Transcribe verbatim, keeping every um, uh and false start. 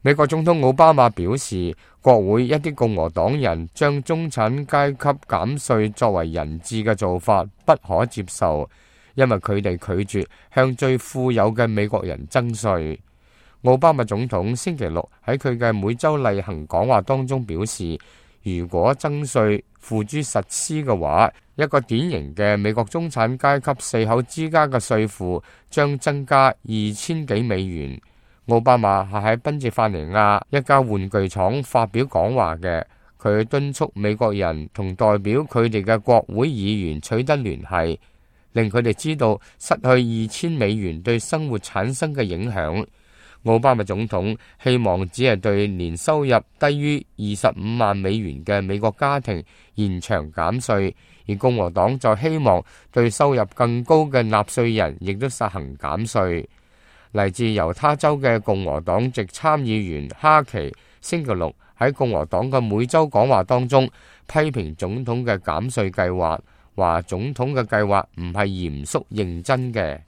美國總統奧巴馬表示，國會一啲共和黨人將中產階級減稅作為人質嘅做法不可接受，因為佢哋拒絕向最富有嘅美國人徵稅。奧巴馬總統星期六喺佢嘅每週例行講話當中表示，如果徵稅付諸實施嘅話，一個典型嘅美國中產階級四口之家嘅稅負將增加二千幾美元。奧巴馬係喺賓夕法尼亞一家玩具廠發表講話嘅，佢敦促美國人同代表佢哋嘅國會議員取得聯繫，令佢哋知道失去二千美元對生活產生嘅影響。奧巴馬總統希望只係對年收入低於二十五萬美元嘅美國家庭延長減稅，而共和黨就希望對收入更高嘅納稅人亦都實行減稅。嚟自猶他州嘅共和黨籍參議員哈奇星期六喺共和黨嘅每週講話當中批評總統嘅減稅計劃，話總統嘅計劃唔係嚴肅認真嘅。